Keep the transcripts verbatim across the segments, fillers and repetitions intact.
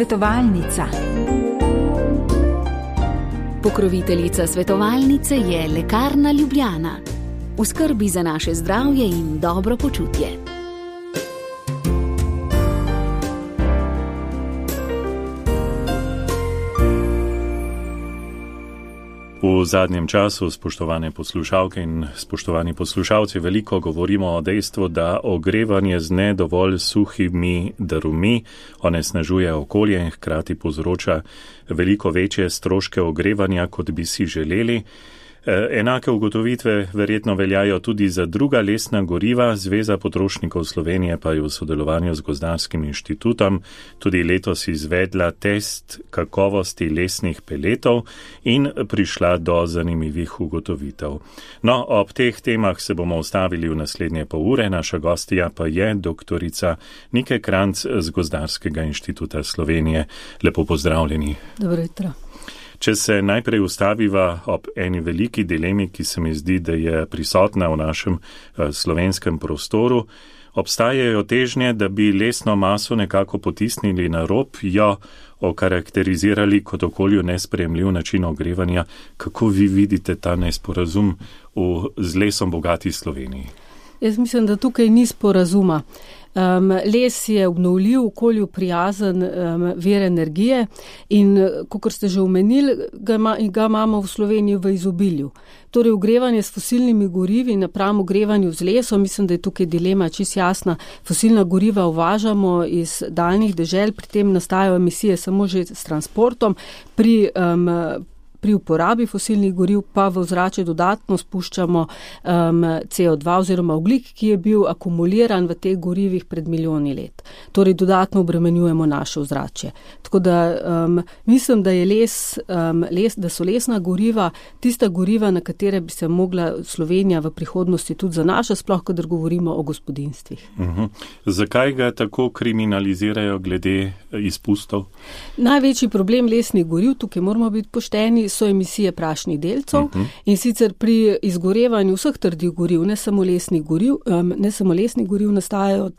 Svetovalnica. Pokroviteljica svetovalnice je Lekarna Ljubljana. V skrbi za naše zdravje in dobro počutje. V zadnjem času, spoštovane poslušalke in spoštovani poslušalci, veliko govorimo o dejstvu, da ogrevanje z ne dovolj suhimi drvmi onesnažuje okolje in hkrati povzroča veliko večje stroške ogrevanja, kot bi si želeli. Enake ugotovitve verjetno veljajo tudi za druga lesna goriva. Zveza potrošnikov Slovenije pa je v sodelovanju z Gozdarskim inštitutom tudi letos izvedla test kakovosti lesnih peletov in prišla do zanimivih ugotovitev. No, ob teh temah se bomo ustavili v naslednje pol ure. Naša gostja pa je doktorica Nike Kranjc z Gozdarskega inštituta Slovenije. Lepo pozdravljeni. Dobro jutro. Če se najprej ustaviva ob eni veliki dilemi, ki se mi zdi, da je prisotna v našem slovenskem prostoru, obstajajo težnje, da bi lesno maso nekako potisnili na rob, jo okarakterizirali kot okolju nesprejemljiv način ogrevanja. Kako vi vidite ta nesporazum v z lesom bogati Sloveniji? Jaz mislim, da tukaj ni sporazuma. Um, les je obnovljiv, okolju prijazen um, vir energije in, kakor ste že omenili, ga, ima, ga imamo v Sloveniji v izobilju. Torej, ogrevanje s fosilnimi gorivi napram ogrevanju z lesom, mislim, da je tukaj dilema čist jasna. Fosilna goriva uvažamo iz daljnih dežel, pri tem nastajajo emisije samo že s transportom, pri um, Pri uporabi fosilnih goriv pa v ozračje dodatno spuščamo um, C O dva oziroma ogljik, ki je bil akumuliran v teh gorivih pred milijoni let. Torej dodatno obremenjujemo naše ozračje. Tako da um, mislim, da je les, um, les, da so lesna goriva tista goriva, na katere bi se mogla Slovenija v prihodnosti tudi zanašati, sploh kadar govorimo o gospodinstvih. Uh-huh. Zakaj ga tako kriminalizirajo glede izpustov? Največji problem lesnih goriv, tukaj moramo biti pošteni, so emisije prašnih delcev uh-huh. in sicer pri izgorevanju vseh trdih goriv, ne samo lesnih goriv, um, ne samo lesnih goriv nastajajo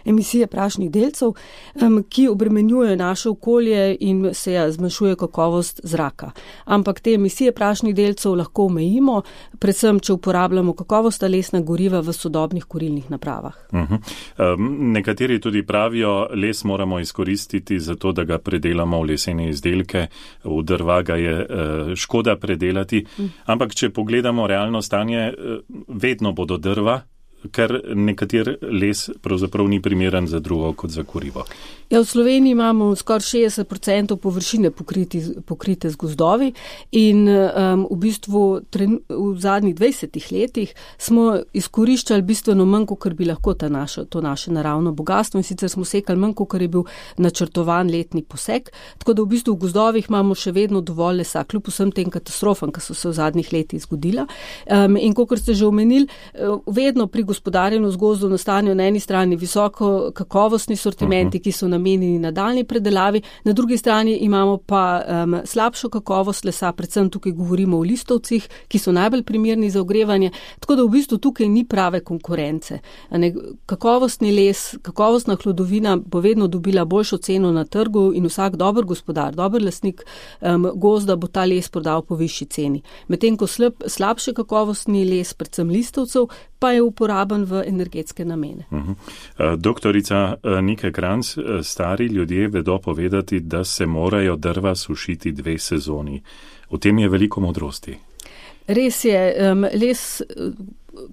emisije prašnih delcev, um, ki obremenjujejo naše okolje in se ja, zmanjšuje kakovost zraka. Ampak te emisije prašnih delcev lahko omejimo, predvsem, če uporabljamo kakovostna lesna goriva v sodobnih kurilnih napravah. Uh-huh. Um, nekateri tudi pravijo, les moramo izkoristiti za to, da ga predelamo v lesene izdelke, v drva ga je uh, škoda predelati, uh-huh. ampak če pogledamo realno stanje, uh, vedno bodo drva, ker nekater les pravzaprav ni primeren za drugo kot za kurivo. Ja, v Sloveniji imamo skoraj šestdeset procentov površine pokriti, pokrite z gozdovi in um, v bistvu tren, v zadnjih dvajsetih letih smo izkoriščali bistveno manj, kot bi lahko ta naša, to naše naravno bogatstvo, in sicer smo sekali manj, kot je bil načrtovan letni posek, tako da v bistvu v gozdovih imamo še vedno dovolj lesa, kljub vsem tem katastrofam, ki so se v zadnjih letih zgodila. Um, in kot ste že omenili, vedno pri gospodarjenju z gozdom nastanejo na eni strani visoko kakovostni sortimenti, ki so namenjeni nadaljnji predelavi, na drugi strani imamo pa um, slabšo kakovost lesa, predvsem tukaj govorimo o listovcih, ki so najbolj primerni za ogrevanje, tako da v bistvu tukaj ni prave konkurence. Ne, kakovostni les, kakovostna hlodovina bo vedno dobila boljšo ceno na trgu in vsak dober gospodar, dober lastnik um, gozda bo ta les prodal po višji ceni. Medtem ko slab, slabše kakovostni les, predvsem listovcev, pa je uporaben v energetske namene. Uh-huh. Doktorica Nike Kranjc, stari ljudje vedo povedati, da se morajo drva sušiti dve sezoni. V tem je veliko modrosti. Res je, um, les,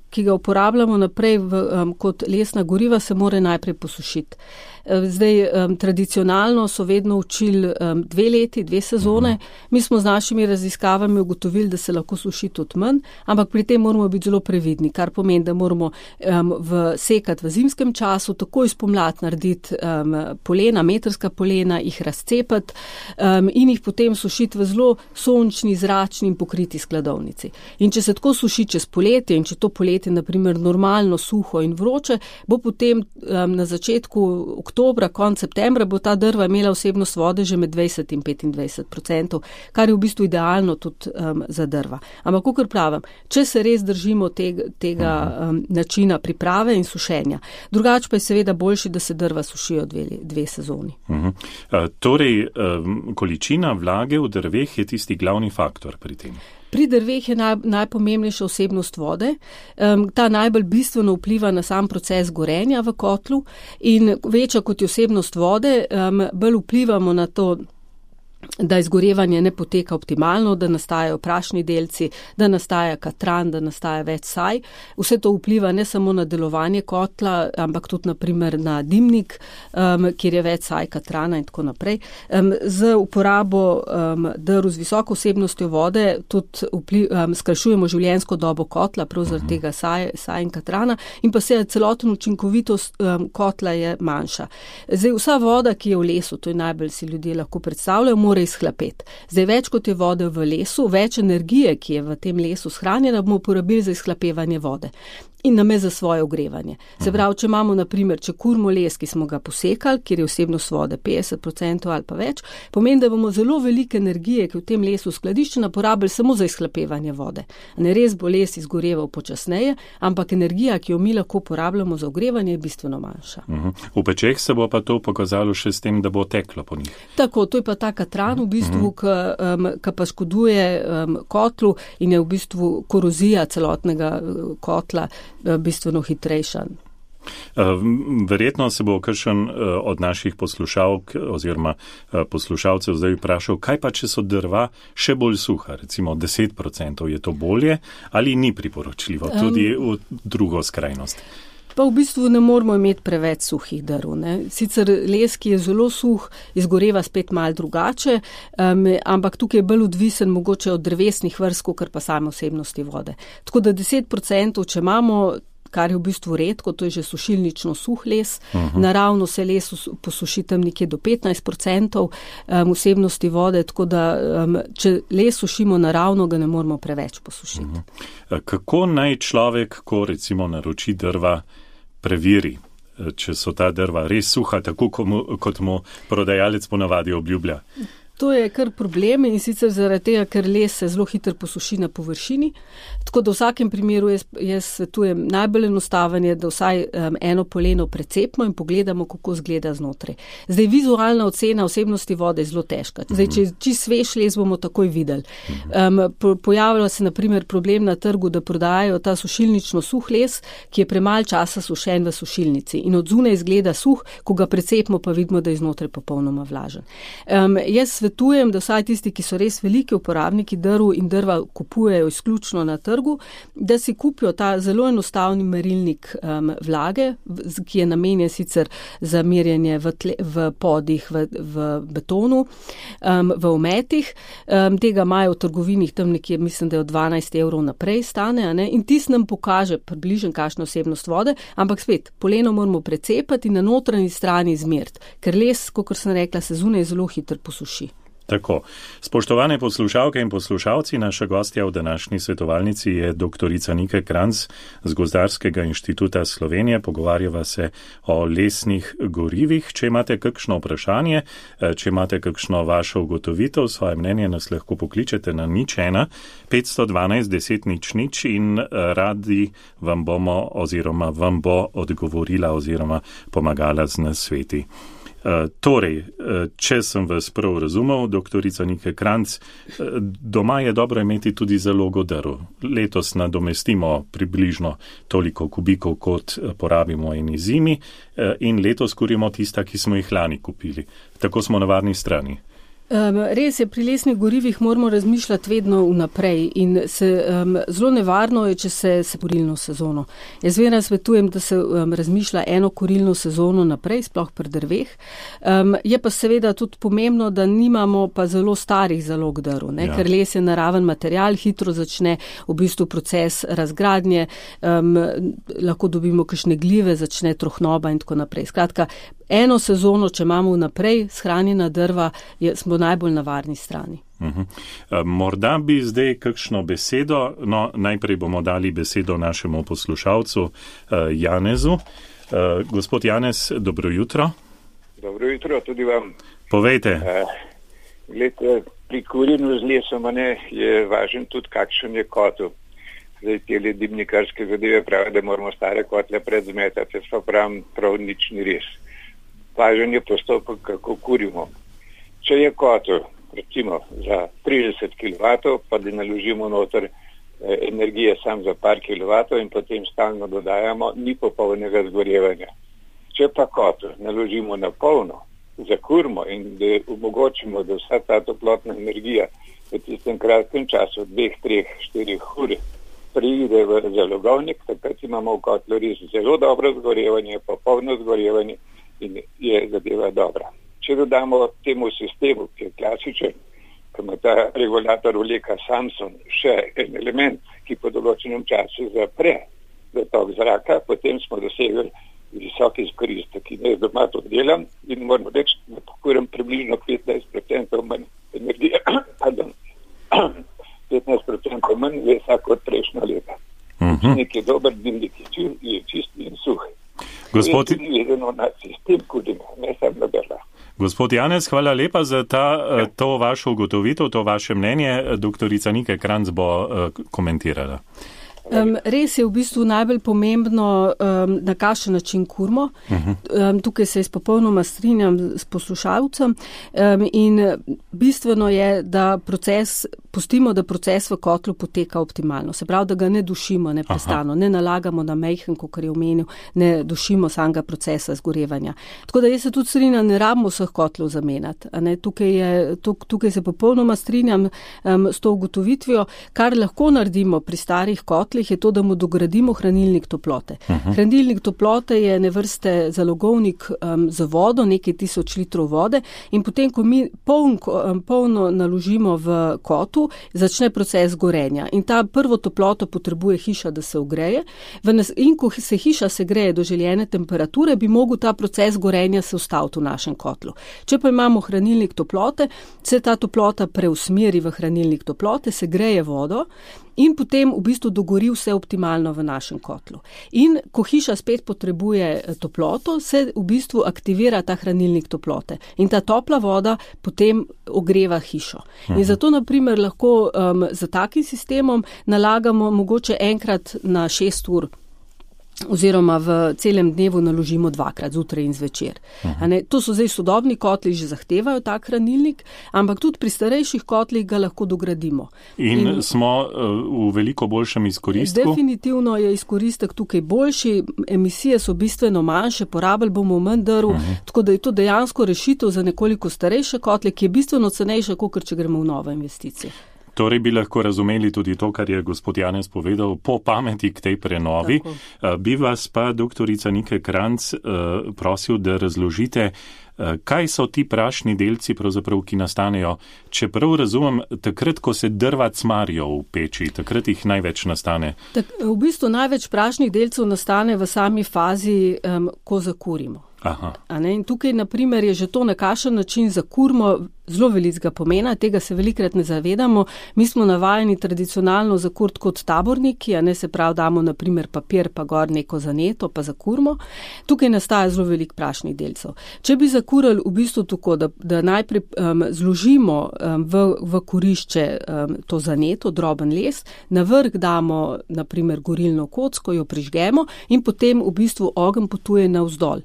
ki ga uporabljamo naprej v, um, kot lesna goriva, se mora najprej posušiti. Zdaj, um, tradicionalno so vedno učili um, dve leti, dve sezone. Mi smo z našimi raziskavami ugotovili, da se lahko suši tudi manj, ampak pri tem moramo biti zelo previdni, kar pomeni, da moramo um, v sekati v zimskem času, takoj spomladi narediti um, polena, metrska polena, jih razcepati um, in jih potem sušiti v zelo sončni, zračni in pokriti skladovnici. In če se tako suši čez poletje in če to poletje naprimer normalno suho in vroče, bo potem um, na začetku oktobra, konec septembra, bo ta drva imela vsebnost vode že med dvajset in petindvajset odstotkov, kar je v bistvu idealno tudi um, za drva. Ampak, kakor pravim, če se res držimo tega, tega um, načina priprave in sušenja. Drugače pa je seveda boljši, da se drva sušijo dve, dve sezoni. Uh-huh. Uh, torej, um, količina vlage v drveh je tisti glavni faktor pri tem. Pri drveh je naj, najpomembnejša vsebnost vode. Um, ta najbolj bistveno vpliva na sam proces gorenja v kotlu in večja kot je vsebnost vode, um, bolj vplivamo na to, da izgorevanje ne poteka optimalno, da nastajajo prašni delci, da nastaja katran, da nastaja več saj. Vse to vpliva ne samo na delovanje kotla, ampak tudi naprimer na dimnik, um, kjer je več saj, katrana in tako naprej. Um, z uporabo um, drv z visoko vsebnostjo vode tudi vpliv, um, skrajšujemo življenjsko dobo kotla, prav zaradi tega saj, saj in katrana, in pa se celoten učinkovitost um, kotla je manjša. Zdaj, vsa voda, ki je v lesu, to je najbolj si ljudje lahko predstavljajo, mora izhlapeti. Zdaj, več kot je vode v lesu, več energije, ki je v tem lesu shranjena, bomo porabili za izhlapevanje vode in name za svoje ogrevanje. Se pravi, če imamo, na primer, če kurmo les, ki smo ga posekali, kjer je vsebnost vode petdeset odstotkov ali pa več, pomeni, da bomo zelo velike energije, ki v tem lesu skladiščena, porabili samo za izhlapevanje vode. Ne res bo les izgoreval počasneje, ampak energija, ki jo mi lahko porabljamo za ogrevanje, je bistveno manjša. Uh-huh. V pečeh se bo pa to pokazalo še s tem, da bo teklo po njih. Tako, to je pa ta katran v bistvu, uh-huh. ki um, pa škoduje um, kotlu in je v bistvu korozija celotnega uh, kotla bistveno hitrejša. Verjetno se bo kakšen od naših poslušalk oziroma poslušalcev zdaj vprašal, kaj pa, če so drva še bolj suha, recimo deset odstotkov, je to bolje ali ni priporočljivo, tudi v drugo skrajnost? Pa v bistvu ne moramo imeti preveč suhih drv. Ne. Sicer les, ki je zelo suh, izgoreva spet malo drugače, um, ampak tukaj je bolj odvisen mogoče od drevesnih vrst, kar pa same vsebnosti vode. Tako da deset odstotkov, če imamo, kar je v bistvu redko, to je že sušilnično suh les, uh-huh. naravno se les posuši tam nekje do petnajst odstotkov um, vsebnosti vode, tako da um, če les sušimo naravno, ga ne moramo preveč posušiti. Uh-huh. Kako naj človek, ko recimo naroči drva, preveri, če so ta drva res suha, tako kot mu prodajalec ponavadi obljublja? To je kar problem in sicer zaradi tega, ker les se zelo hitro posuši na površini. Tako da v vsakem primeru jaz, jaz svetujem najbolj enostaven je, da vsaj um, eno poleno precepimo in pogledamo, kako izgleda znotraj. Zdaj, vizualna ocena vsebnosti vode je zelo težka. Zdaj, če čisto svež les, bomo takoj videli. Um, po, pojavlja se na primer problem na trgu, da prodajajo ta sušilnično suh les, ki je premalo časa sušen v sušilnici in od zunaj izgleda suh, ko ga precepimo, pa vidimo, da je znotraj popolnoma vlažen. Um, jaz svetujem, da vsaj tisti, ki so res veliki uporabniki drv in drva kupujejo izključno na trgu, da si kupijo ta zelo enostavni merilnik um, vlage, ki je namenjen sicer za merjenje v, tle, v podih, v, v betonu, um, v ometih. Um, tega imajo v trgovinih tam nekje, mislim, da je od dvanajst evrov naprej stane, a ne? In tis nam pokaže približno kakšno vsebnost vode, ampak spet, poleno moramo precepati in na notranji strani izmeriti, ker les, kot sem rekla, se zunaj zelo hitro posuši. Tako. Spoštovane poslušalke in poslušalci, naša gostja v današnji svetovalnici je doktorica Nika Kranjc z Gozdarskega inštituta Slovenije. Pogovarjava se o lesnih gorivih. Če imate kakšno vprašanje, če imate kakšno vašo ugotovitev, svoje mnenje nas lahko pokličete na nič ena petsto dvanajst deset nič nič in radi vam bomo oziroma vam bo odgovorila oziroma pomagala z nasveti. Uh, torej, uh, če sem vas prav razumel, doktorica Nika Kranjc, uh, doma je dobro imeti tudi zalogo drv. Letos nadomestimo približno toliko kubikov, kot porabimo eni zimi uh, in letos kurimo tista, ki smo jih lani kupili. Tako smo na varni strani. Um, res je, pri lesnih gorivih moramo razmišljati vedno vnaprej in se, um, zelo nevarno je, če se, se kurilno sezono. Jaz vedno svetujem, da se um, razmišlja eno kurilno sezono naprej, sploh pri drveh. Um, je pa seveda tudi pomembno, da nimamo pa zelo starih zalog drv, ne? Ja. Ker les je naraven material, hitro začne v bistvu proces razgradnje, um, lahko dobimo kakšne glive, začne trohnoba in tako naprej. Skratka, eno sezono, če imamo vnaprej shranjena drva, je, smo najbolj na varni strani. Uh-huh. Morda bi zdaj kakšno besedo, no najprej bomo dali besedo našemu poslušalcu Janezu. Gospod Janez, dobro jutro. Dobro jutro tudi vam. Povejte. Glede, pri kurjenju z lesom ne, je važen tudi kakšen je kotel. Zdaj te dimnikarske zadeve pravi, da moramo stare kotle predzmetati, jaz pa pravim, prav nič ni res. Važen je postopek, kako kurimo. Če je kotel, recimo za trideset kilovatov, pa da naložimo noter eh, energije sam za par kilovatov in potem stalno dodajamo, ni popolnega zgorevanja. Če pa kotel naložimo na polno, zakurimo in da omogočimo, da vsa ta toplotna energija v tistem kratkem času, dveh, treh, štirih ur, pride v zalogovnik, takrat imamo v kotlu res zelo dobro zgorevanje, popolno zgorevanje in je zadeva dobra. Če dodamo temu sistemu, ki je klasičen, ki ima ta regulator vleka Samsung, še en element, ki po določenem času zapre zatok zraka, potem smo dosegli visok izkoristek. In jaz doma to delam in moram reči, da pokuram približno petnajst procentov manj energije, pardon, petnajst procentov manj lesa kot prejšnja leta. Uh-huh. Nek je dober, dimnik je čist in suh. Gospod... na sistem kurjenja, ne sam na berla. Gospod Janez, hvala lepa za ta, to vašo ugotovitev, to vaše mnenje. Doktorica Nike Kranjc bo komentirala. Um, res je v bistvu najbolj pomembno, um, na kakšen način kurimo. Um, tukaj se popolnoma strinjam s poslušalcem um, in bistveno je, da proces, pustimo, da proces v kotlu poteka optimalno. Se pravi, da ga ne dušimo neprestano, ne nalagamo na mejhen, kakor je omenil, ne dušimo samega procesa zgorevanja. Tako da jaz se tudi strinjam, ne rabimo vseh kotlov zamenjati. Tukaj, je, tukaj se popolnoma strinjam um, s to ugotovitvijo. Kar lahko naredimo pri starih kotlih, je to, da mu dogradimo hranilnik toplote. Uh-huh. Hranilnik toplote je ne vrste zalogovnik um, za vodo, nekaj tisoč litrov vode in potem, ko mi poln, um, polno naložimo v kotu, začne proces gorenja. In ta prvo toploto potrebuje hiša, da se ogreje. In ko se hiša segreje do željene temperature, bi mogel ta proces gorenja se ustaviti v našem kotlu. Če pa imamo hranilnik toplote, se ta toplota preusmeri v hranilnik toplote, se greje vodo in potem v bistvu dogori vse optimalno v našem kotlu. In ko hiša spet potrebuje toploto, se v bistvu aktivira ta hranilnik toplote. In ta topla voda potem ogreva hišo. In zato, na primer, lahko um, za takim sistemom nalagamo mogoče enkrat na šest ur oziroma v celem dnevu naložimo dvakrat, zjutraj in zvečer. Uh-huh. To so zdaj sodobni kotli, že zahtevajo tak hranilnik, ampak tudi pri starejših kotlih ga lahko dogradimo. In, in smo uh, v veliko boljšem izkoristku? Definitivno je izkoristek tukaj boljši, emisije so bistveno manjše, porabili bomo manj drv, uh-huh. Tako da je to dejansko rešitev za nekoliko starejše kotle, ki je bistveno cenejša, kot če gremo v nove investicije. Torej bi lahko razumeli tudi to, kar je gospod Janez povedal, po pameti k tej prenovi. Tako. Bi vas pa, doktorica Nike Kranjc, prosil, da razložite, kaj so ti prašni delci, pravzaprav, ki nastanejo, čeprav razumem, takrat, ko se drva cmarijo v peči, takrat jih največ nastane. Tak, v bistvu največ prašnih delcev nastane v sami fazi, um, ko zakurimo. Aha. In tukaj, na primer, je že to, na kakšen način zakurimo, zelo velikega pomena, tega se velikrat ne zavedamo. Mi smo navajeni tradicionalno zakurt kot taborniki, a ne, se pravi, damo na primer papir, pa gor neko zaneto, pa zakurimo. Tukaj nastaja zelo velik prašnih delcev. Če bi zakurili v bistvu tako, da, da najprej um, zložimo um, v, v kurišče um, to zaneto, droben les, na vrh damo na primer gorilno kocko, jo prižgemo in potem v bistvu ogenj potuje navzdol.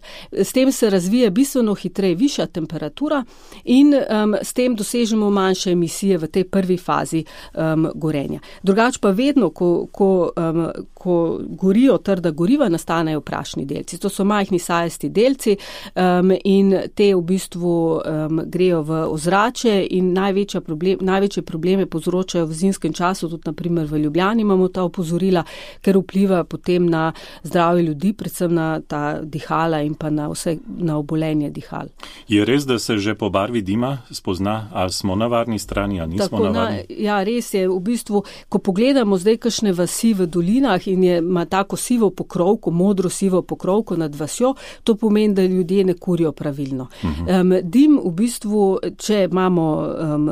S tem se razvije bistveno hitreje višja temperatura in um, s tem dosežemo manjše emisije v tej prvi fazi um, gorenja. Drugač pa vedno, ko, ko, um, ko gorijo trda goriva, nastanejo prašni delci. To so majhni sajasti delci um, in te v bistvu um, grejo v ozračje in največja problem, največje probleme povzročajo v zimskem času, tudi na primer v Ljubljani imamo ta opozorila, ker vpliva potem na zdravje ljudi, predvsem na ta dihala in pa na vse, na obolenje dihal. Je res, da se že po barvi dima spozna, ali smo na varni strani, ali nismo Tako, na varni? Na, ja, res je. V bistvu, ko pogledamo zdaj kakšne vasi v dolinah in je, ima tako sivo pokrovko, modro sivo pokrovko nad vasjo, to pomeni, da ljudje ne kurijo pravilno. Uh-huh. Um, dim v bistvu, če imamo um,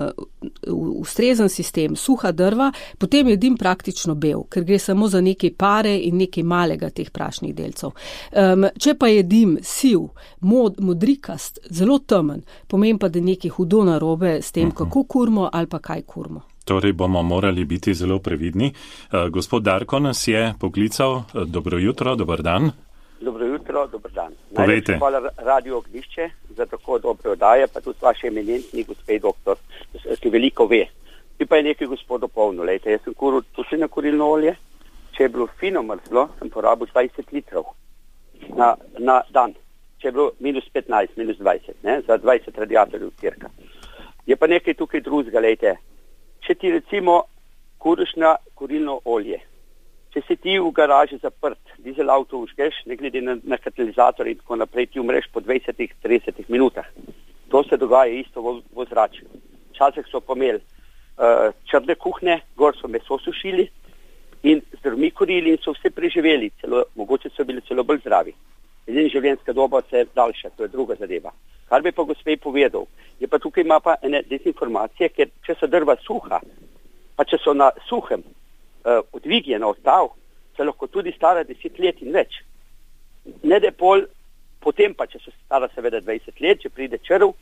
ustrezen sistem suha drva, potem je dim praktično bel, ker gre samo za nekaj pare in nekaj malega teh prašnih delcev. Um, če pa je dim siv, mod, modrikast, zelo temen, pomeni pa, da je nekaj hudo narobe s tem, uh-huh. kako kurmo ali pa kaj kurmo. Torej bomo morali biti zelo previdni. Uh, gospod Darko nas je poklical. Dobro jutro, dober dan. Dobro jutro, dober dan. Povejte. Hvala Radio Ognjišče za tako dobre oddaje, pa tudi vaše eminentni gospe doktor, ki veliko ve. Ti pa je nekaj gospod dopolnil. Lejte, jaz sem kuril tudi na kurilno olje. Če je bilo fino mrzlo, sem porabil dvajset litrov na, na dan. Če je bilo minus petnajst, minus dvajset, ne, za dvajset radiatorjev cirka. Je pa nekaj tukaj drugega, lejte. Če ti recimo kuriš na kurilno olje, če si ti v garaži zaprt, dizel avto užgeš, ne glede na, na katalizator in tako naprej, ti umreš po dvajset do trideset minutah. To se dogaja isto v, v zračju. Včasih so pomeli uh, črne kuhne, gor so meso sušili in z drvmi kurili in so vse preživeli, celo, mogoče so bili celo bolj zdravi. Edina življenjska doba se je daljša, to je druga zadeva. Kar bi pa gospej povedal, je pa tukaj ima pa ene dezinformacije, ker če so drva suha, pa če so na suhem uh, odvigljena od tav, se lahko tudi stara deset let in več. Ne da pol, potem pa, če so stara seveda dvajset let, če pride črv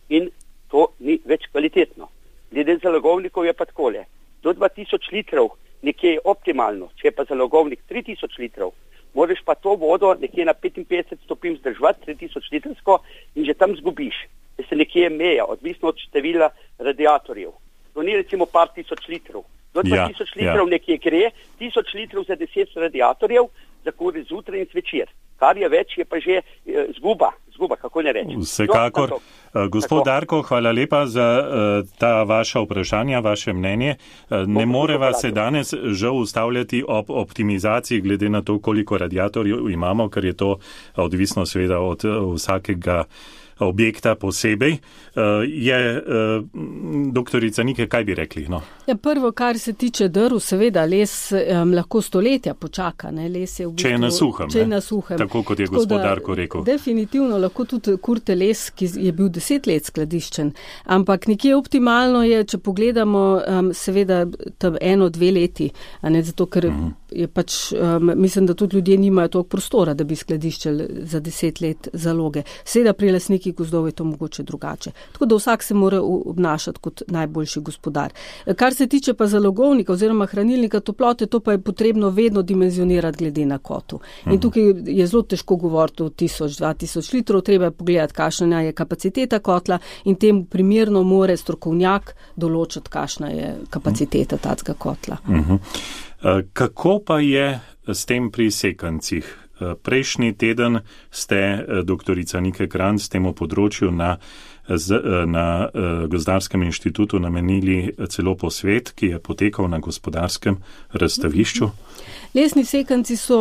in to ni več kvalitetno. Glede zalogovnikov je pa takole. Do dva tisoč litrov nekje je optimalno, če je pa zalogovnik tri tisoč litrov, moraš pa to vodo nekje na petinpetdeset stopinj zdržati, tri tisoč litrsko in že tam zgubiš. Da se nekje meja, odvisno od števila radiatorjev. To ni recimo par tisoč litrov. Do dva tisoč ja, litrov ja. Nekje gre, tisoč litrov za deset radiatorjev, za kuri zjutraj in zvečer. Kar je več, je pa že e, zguba, zguba, kako ne reči. Vsekakor. No, uh, gospod tako. Darko, hvala lepa za uh, ta vaša vprašanja, vaše mnenje. Uh, ne moreva se danes žal ustavljati ob optimizaciji glede na to, koliko radiatorjev imamo, ker je to odvisno seveda od uh, vsakega objekta posebej. Uh, je uh, doktorica Nike, kaj bi rekli? No? Ja, prvo, kar se tiče drv, seveda les um, lahko stoletja počaka. Ne? Les je v bistvu, če je na suhem. Če je na suhem. Tako kot je tako gospod Darko rekel. Definitivno lahko tudi kurte les, ki je bil deset let skladiščen. Ampak nekje optimalno je, če pogledamo um, seveda tam eno, dve leti. A ne, zato, ker uh-huh. je pač, um, mislim, da tudi ljudje nimajo toliko prostora, da bi skladiščali za deset let zaloge. Seveda pri lasnikih gozdov je to mogoče drugače. Tako da vsak se mora obnašati kot najboljši gospodar. Kar se tiče pa zalogovnika oziroma hranilnika toplote, to pa je potrebno vedno dimenzionirati glede na kotu. In tukaj je zelo težko govoriti o tisoč, dva tisoč litrov, treba je pogledati, kakšna je kapaciteta kotla in temu primerno more strokovnjak določiti, kakšna je kapaciteta tacga kotla. Uh-huh. Kako pa je s tem pri sekancih? Prejšnji teden ste, doktorica Nike Kranjc, temu področju na, na Gozdarskem inštitutu namenili celo posvet, ki je potekal na Gospodarskem razstavišču. Lesni sekanci so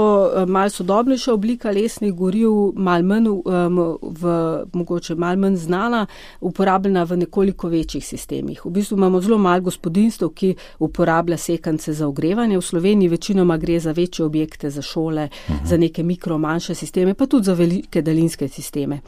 malo sodobnejša oblika lesnih goriv, malo manj, um, v, mogoče malo manj znana, uporabljena v nekoliko večjih sistemih. V bistvu imamo zelo malo gospodinstv, ki uporablja sekance za ogrevanje. V Sloveniji večinoma gre za večje objekte, za šole, uh-huh. za neke mikro, manjše sisteme, pa tudi za velike daljinske sisteme.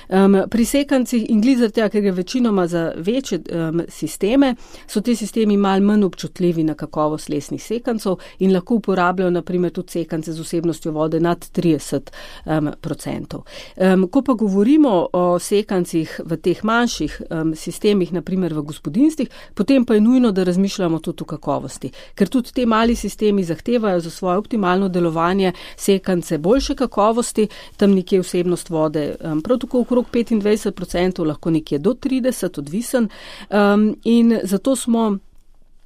Um, pri sekancih in glizartja, ker gre večinoma za večje um, sisteme, so te sistemi malo manj občutljivi na kakovost lesnih sekancov in lahko uporabljajo naprimer tudi sekance z vsebnostjo vode nad trideset odstotkov. Um, ko pa govorimo o sekancih v teh manjših um, sistemih, naprimer v gospodinstvih, potem pa je nujno, da razmišljamo tudi o kakovosti. Ker tudi te mali sistemi zahtevajo za svoje optimalno delovanje sekance boljše kakovosti, tam nekje vsebnost vode um, prav tako okrog petindvajset odstotkov, lahko nekje do trideset, odvisen. Um, in zato smo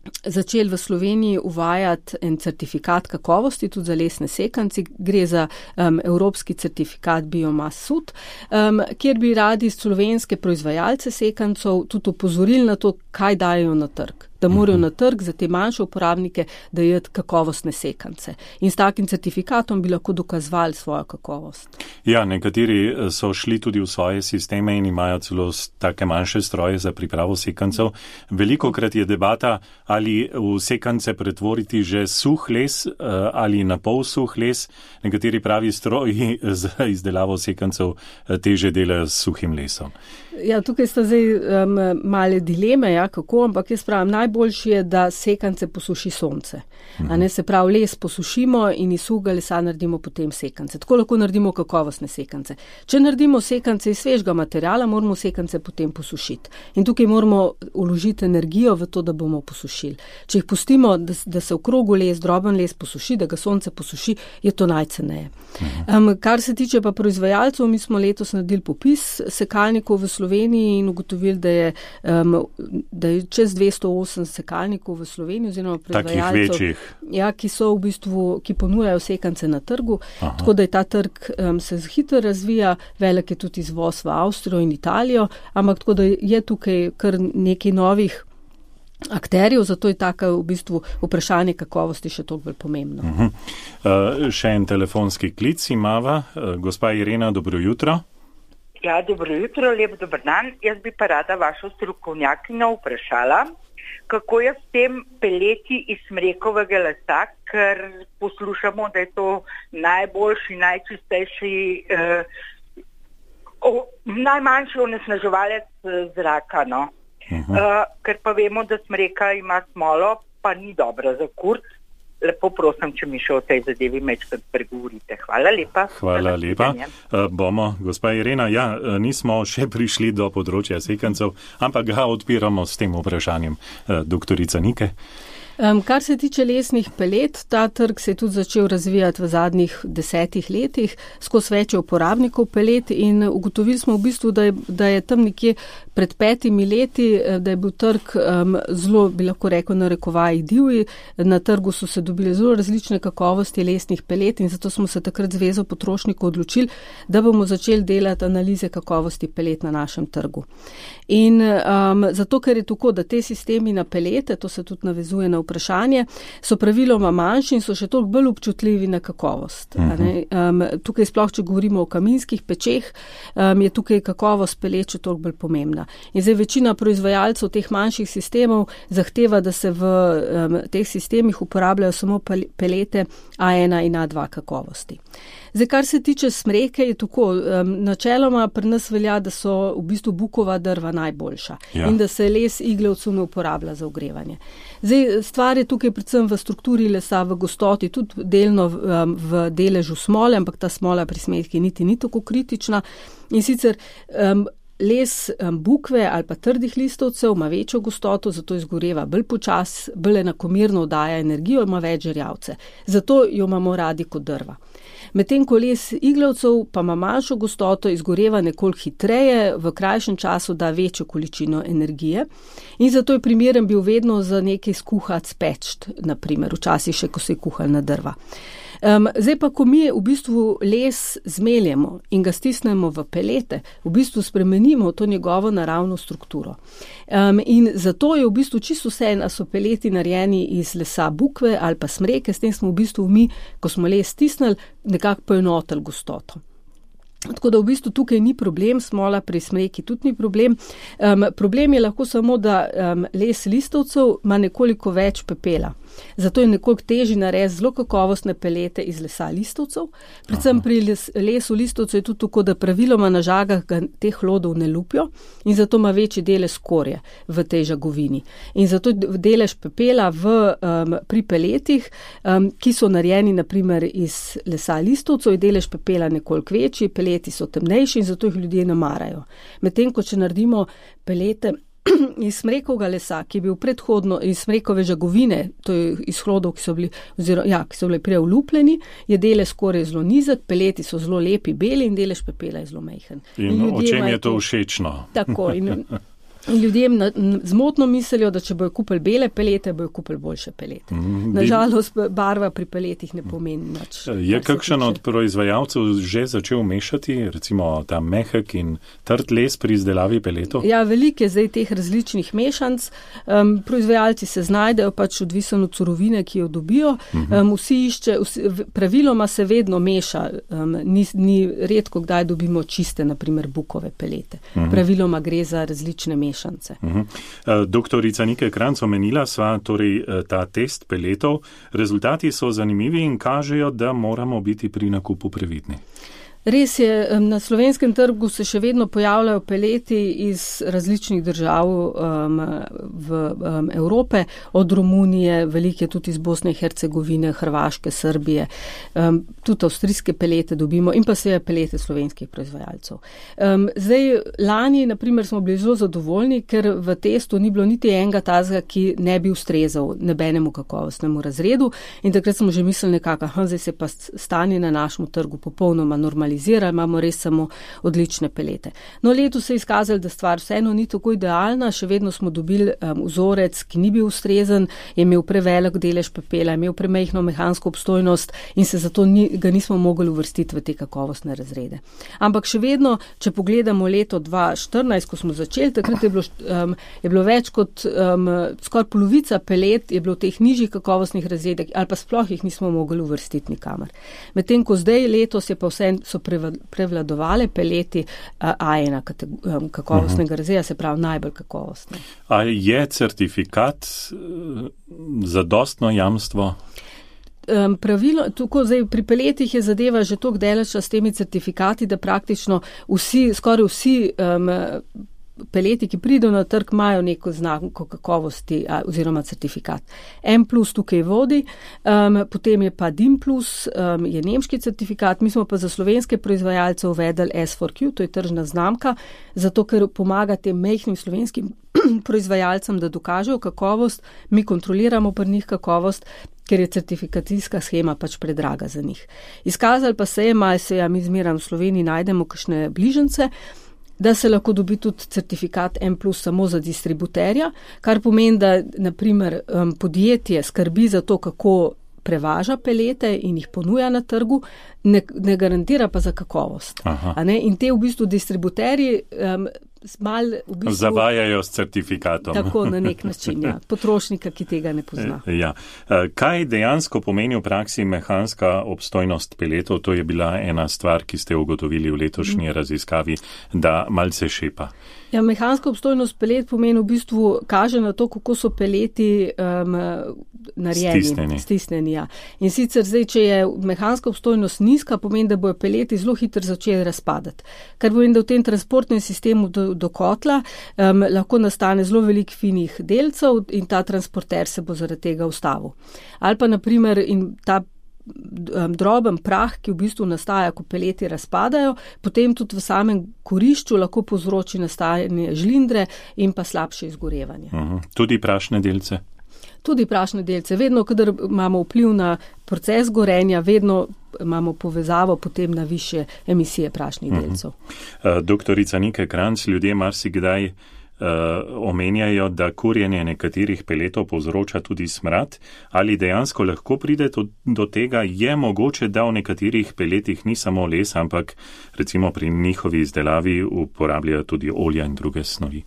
začeli v Sloveniji uvajati en certifikat kakovosti tudi za lesne sekance. Gre za um, evropski certifikat Biomass Sud, um, kjer bi radi slovenske proizvajalce sekancov tudi opozorili na to, kaj dajo na trg. da morajo na trg za te manjše uporabnike dajati kakovostne sekance. In s takim certifikatom bi lahko dokazovali svojo kakovost. Ja, nekateri so šli tudi v svoje sisteme in imajo celo take manjše stroje za pripravo sekancev. Velikokrat je debata, ali v sekance pretvoriti že suh les ali na pol suh les. Nekateri pravi stroji za izdelavo sekancev teže delajo s suhim lesom. Ja, tukaj sta zdaj um, male dileme, ja, kako, ampak jaz pravim, najboljši je, da sekance posuši sonce. Mhm. A ne, se pravi, les posušimo in iz suhega lesa naredimo potem sekance. Tako lahko naredimo kakovostne sekance. Če naredimo sekance iz svežega materiala, moramo sekance potem posušiti. In tukaj moramo vložiti energijo v to, da bomo posušili. Če jih pustimo, da, da se v krogu les, droben les posuši, da ga sonce posuši, je to najceneje. Mhm. Um, kar se tiče pa proizvajalcev, mi smo letos naredili popis sekalnikov v Sloveniji in ugotovili, da je, um, da je čez dvesto osem sekalnikov v Sloveniji oziroma proizvajalcev, ja, ki so v bistvu, ki ponujajo sekance na trgu. Aha. Tako da je ta trg um, se hitro razvija, velik je tudi izvoz v Avstrijo in Italijo, ampak tako da je tukaj kar nekaj novih akterjev, zato je tako v bistvu vprašanje kakovosti še toliko bolj pomembno. Uh-huh. Uh, še en telefonski klic imava. Uh, gospa Irena, dobro jutro. Ja, dobro jutro, lep dober dan. Jaz bi pa rada vašo strokovnjakinjo vprašala, kako je s tem peleti iz smrekovega lesa, ker poslušamo, da je to najboljši, najčistejši, eh, o, najmanjši onesnaževalec zraka, no. Uh-huh. Uh, ker pa vemo, da smreka ima smolo, pa ni dobra za kurt. Lepo prosim, če mi še o tej zadevi mečkrat pregovorite. Hvala lepa. Hvala lepa. Uh, bomo, gospa Irena, ja, nismo še prišli do področja sekancev, ampak ga odpiramo s tem vprašanjem. Uh, doktorica Nike. Um, kar se tiče lesnih pelet, ta trg se je tudi začel razvijati v zadnjih desetih letih, skozi več uporabnikov pelet in ugotovili smo v bistvu, da je, da je tam nekje pred petimi leti, da je bil trg um, zelo, bi lahko rekel, narekovaji divji. Na trgu so se dobili zelo različne kakovosti lesnih pelet in zato smo se takrat Zvezo potrošnikov odločili, da bomo začeli delati analize kakovosti pelet na našem trgu. In um, zato, ker je tako, da te sistemi na pelete, to se tudi navezuje na vprašanje, so praviloma manjši in so še toliko bolj občutljivi na kakovost. Uh-huh. Um, tukaj sploh, če govorimo o kaminskih pečeh, um, je tukaj kakovost pelet še toliko bolj pomembna. In zdaj večina proizvajalcev teh manjših sistemov zahteva, da se v um, teh sistemih uporabljajo samo pelete A ena in A dva kakovosti. Zdaj, kar se tiče smreke, je tako, um, načeloma pri nas velja, da so v bistvu bukova drva najboljša ja. In da se les iglavcev ne uporablja za ogrevanje. Zdaj, stvar je tukaj predvsem v strukturi lesa, v gostoti, tudi delno v, um, v deležu smole, ampak ta smola pri smreki niti ni tako kritična. In sicer um, les um, bukve ali pa trdih listovcev ima večjo gostoto, zato izgoreva bolj počas, bolj enakomerno daje energijo, ima več žerjavce. Zato jo imamo radi kot drva. Medtem ko les iglavcev pa ima manjšo gostoto, izgoreva nekoliko hitreje, v krajšem času da večjo količino energije in zato je primeren bil vedno za nekaj skuhat spečt, naprimer, včasih še, ko se je kuhal na drva. Um, zdaj pa, ko mi v bistvu les zmeljemo in ga stisnemo v pelete, v bistvu spremenimo to njegovo naravno strukturo. Um, in zato je v bistvu čisto vse, a so peleti narejeni iz lesa bukve ali pa smreke, s tem smo v bistvu mi, ko smo les stisnili, nekako poenotili gostoto. Tako da v bistvu tukaj ni problem, smola pri smreki tudi ni problem. Um, problem je lahko samo, da um, les listovcev ima nekoliko več pepela. Zato je nekoliko težji narediti zelo kakovostne pelete iz lesa listovcev. Predvsem Aha. Pri les, lesu listovcev je tudi tako, da praviloma na žagah ga teh hlodov ne lupijo in zato ima večji delež skorje v tej žagovini. In zato delež pepela v, um, pri peletih, um, ki so narejeni naprimer iz lesa listovcev, je delež pepela nekoliko večji, peleti so temnejši in zato jih ljudje ne marajo. Medtem, ko če naredimo pelete iz smrekovega lesa, ki je bil predhodno iz smrekove žagovine, to je iz hlodov, ki so bili, oziroma, ja, ki so bili prej vlupljeni, je delež skoraj zelo nizek, peleti so zelo lepi, beli in delež pepela je zelo majhen. In, in o čem je to všečno? Tako. In, Ljudem na, zmotno mislijo, da če bojo kupili bele pelete, bojo kupili boljše pelete. Mm, Nažalost, barva pri peletih ne pomeni nič. Je kakšen od proizvajalcev že začel mešati, recimo ta mehek in trd les pri izdelavi peletov? Ja, veliko je zdaj teh različnih mešanc. Um, proizvajalci se znajdejo pač odvisno od surovine, ki jo dobijo. Um, vsi išče, vsi, praviloma se vedno meša. Um, ni, ni redko, kdaj dobimo čiste, naprimer, bukove pelete. Mm. Praviloma gre za različne mešance. Uh-huh. Doktorica Nike Kranjc, omenila sva torej ta test peletov. Rezultati so zanimivi in kažejo, da moramo biti pri nakupu previdni. Res je, na slovenskem trgu se še vedno pojavljajo peleti iz različnih držav um, v um, Evrope, od Romunije, velike tudi iz Bosne in Hercegovine, Hrvaške, Srbije, um, tudi avstrijske pelete dobimo in pa seveda pelete slovenskih proizvajalcev. Um, zdaj, lani, naprimer, smo bili zelo zadovoljni, ker v testu ni bilo niti enega tazga, ki ne bi ustrezal nebenemu kakovostnemu razredu in takrat smo že mislili nekako, aha, zdaj se pa stanje na našem trgu popolnoma normalizira. Imamo res samo odlične pelete. No, letos se je izkazalo, da stvar vseeno ni tako idealna, še vedno smo dobili um, vzorec, ki ni bil ustrezen, je imel prevelik delež pepela, je imel premejhno mehansko obstojnost in se zato ni, ga nismo mogli uvrstiti v te kakovostne razrede. Ampak še vedno, če pogledamo leto dva tisoč štirinajst, ko smo začeli, takrat je bilo, um, je bilo več kot um, skoraj polovica pelet je bilo v teh nižjih kakovostnih razredih ali pa sploh jih nismo mogli uvrstiti nikamor. Medtem ko zdaj letos je pa vse so prevladovale peleti A ena kakovostnega razreda, se pravi najbolj kakovostne. A je certifikat zadostno jamstvo? Um, pravilo, tako zdaj pri peletih je zadeva že toliko daleč s temi certifikati, da praktično vsi, skoraj vsi um, peleti, ki pridejo na trg, imajo neko znamko kakovosti a, oziroma certifikat. M plus tukaj vodi, um, potem je pa D I M plus, um, je nemški certifikat, mi smo pa za slovenske proizvajalce uvedli S four Q, to je tržna znamka, zato ker pomaga tem majhnim slovenskim proizvajalcem, da dokažejo kakovost, mi kontroliramo pri njih kakovost, ker je certifikacijska schema pač predraga za njih. Izkazali pa se je, malo se ja, mi zmeram v Sloveniji najdemo kakšne bližance, da se lahko dobi tudi certifikat M plus samo za distributerja, kar pomeni, da naprimer um, podjetje skrbi za to, kako prevaža pelete in jih ponuja na trgu, ne, ne garantira pa za kakovost. A ne? In te v bistvu distributerji um, mal v bistvu zavajajo s certifikatom. Tako na nek način, ja. Potrošnika, ki tega ne pozna. Ja. Kaj dejansko pomeni v praksi mehanska obstojnost peletov? To je bila ena stvar, ki ste ugotovili v letošnji mm. raziskavi, da malce šepa. Ja, mehanska obstojnost pelet pomeni v bistvu, kaže na to, kako so peleti um, narejeni. Stisneni. Stisneni, ja. In sicer zdaj, če je mehanska obstojnost nizka, pomeni, da bojo peleti zelo hitro začeli razpadati. Kar pomeni, da v tem transportnem sistemu do, do kotla um, lahko nastane zelo veliko finih delcev in ta transporter se bo zaradi tega ustavil. Ali pa naprimer in ta droben prah, ki v bistvu nastaja, ko peleti razpadajo, potem tudi v samem kurišču lahko povzroči nastajanje žlindre in pa slabše izgorevanje. Uh-huh. Tudi prašne delce? Tudi prašne delce. Vedno, kadar imamo vpliv na proces gorenja, vedno imamo povezavo potem na više emisije prašnih uh-huh. delcev. Uh, doktorica Nike Kranjc, ljudje marsikdaj Uh, omenjajo, da kurjenje nekaterih peletov povzroča tudi smrad. Ali dejansko lahko pride to, do tega? Je mogoče, da v nekaterih peletih ni samo les, ampak recimo pri njihovi izdelavi uporabljajo tudi olja in druge snovi?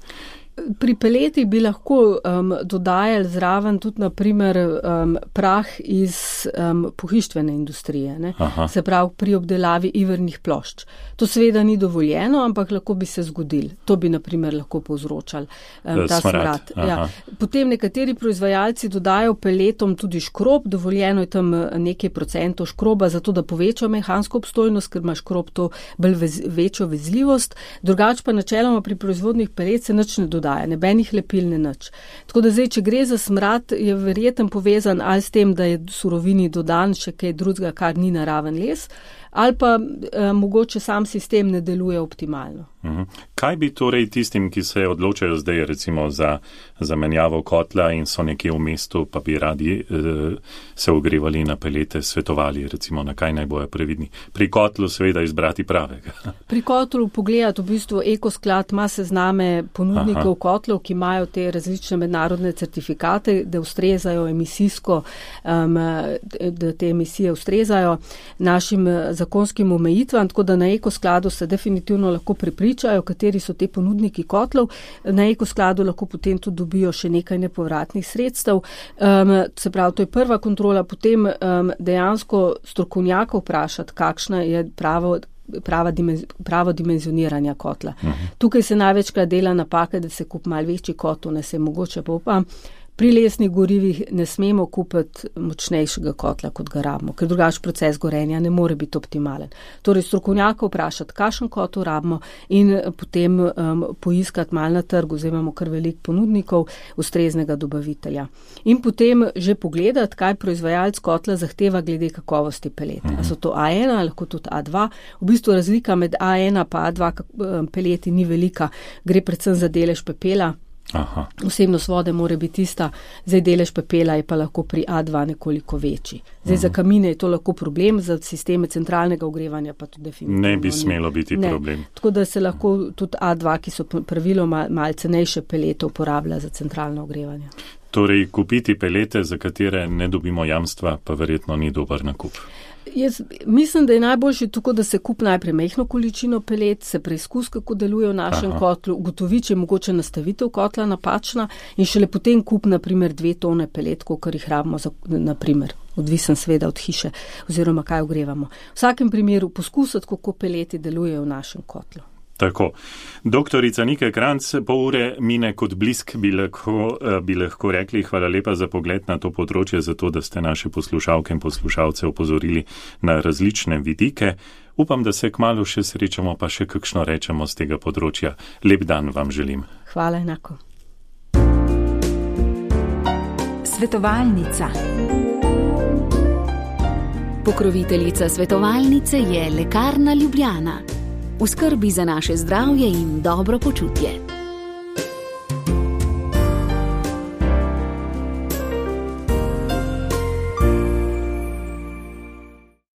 Pri peletih bi lahko um, dodajali zraven tudi naprimer um, prah iz um, pohištvene industrije, ne? Se pravi pri obdelavi ivernih plošč. To seveda ni dovoljeno, ampak lahko bi se zgodil. To bi naprimer lahko povzročal um, ta smrad. Ja. Potem nekateri proizvajalci dodajo peletom tudi škrob, dovoljeno je tam nekaj procentov škroba, zato da poveča mehansko obstojnost, ker ima škrob to bolj vez, večjo vezljivost. Drugač pa načeloma pri proizvodnih pelet se nič ne dodaja. Nebenih lepil ne nič. Tako da zdaj, če gre za smrad, je verjetno povezan ali s tem, da je surovini dodan še kaj drugega, kar ni naraven les, ali pa eh, mogoče sam sistem ne deluje optimalno. Kaj bi torej tistim, ki se odločajo zdaj recimo za zamenjavo kotla in so nekje v mestu, pa bi radi eh, se ogrevali na pelete, svetovali recimo, na kaj naj bojo previdni? Pri kotlu seveda izbrati pravega. Pri kotlu pogledati v bistvu Ekosklad ima sezname ponudnikov Aha. kotlov, ki imajo te različne mednarodne certifikate, da ustrezajo emisijsko, um, da te emisije ustrezajo našim zakonskim omejitvam, tako da na Ekoskladu se definitivno lahko pripričajo, kateri so te ponudniki kotlov. Na Ekoskladu lahko potem tudi dobijo še nekaj nepovratnih sredstev. Um, se pravi, to je prva kontrola, potem um, dejansko strokovnjaka vprašati, kakšna je pravo Prava dimenz, pravo dimenzioniranja kotla. Uh-huh. Tukaj se največkrat dela napaka, da se kup malo večji kotel, ne se mogoče pa upam. Pri lesnih gorivih ne smemo kupiti močnejšega kotla, kot ga rabimo, ker drugač proces gorenja ne more biti optimalen. Torej strokovnjaka vprašati, kakšen kotel rabimo in potem um, poiskati malo na trgu, zdaj imamo kar veliko ponudnikov, ustreznega dobavitelja. In potem že pogledati, kaj proizvajalec kotla zahteva glede kakovosti peleta. A so to A ena, lahko tudi A dva. V bistvu razlika med A ena pa A dva peleti ni velika, gre predvsem za delež pepela. Aha. Vsebnost vode mora biti tista, zdaj delež pepela je pa lahko pri A dva nekoliko večji. Zdaj uh-huh. za kamine je to lahko problem, za sisteme centralnega ogrevanja pa tudi definitivno. Ne bi smelo biti ne. problem. Tako da se lahko tudi A dva, ki so praviloma malo cenejše pelete, uporablja za centralno ogrevanje. Torej, kupiti pelete, za katere ne dobimo jamstva, pa verjetno ni dober nakup. Jaz mislim, da je najboljši tako, da se kup najprej mehno količino pelet, se preizkus, kako deluje v našem Aha. kotlu, ugotovi, če je mogoče nastavitev kotla napačna in šele potem kup, na primer, dve tone pelet, kolikor jih rabimo, za, na primer, odvisen sveda od hiše oziroma kaj ogrevamo. V vsakem primeru poskusati, kako peleti delujejo v našem kotlu. Tako. Doktorica Nike Kranjc, pol ure mine kot blisk, bi lahko, bi lahko rekli. Hvala lepa za pogled na to področje, zato da ste naše poslušalke in poslušalce opozorili na različne vidike. Upam, da se kmalu še srečamo, pa še kakšno rečemo z tega področja. Lep dan vam želim. Hvala enako. Svetovalnica. Pokroviteljica svetovalnice je Lekarna Ljubljana. V skrbi za naše zdravje in dobro počutje.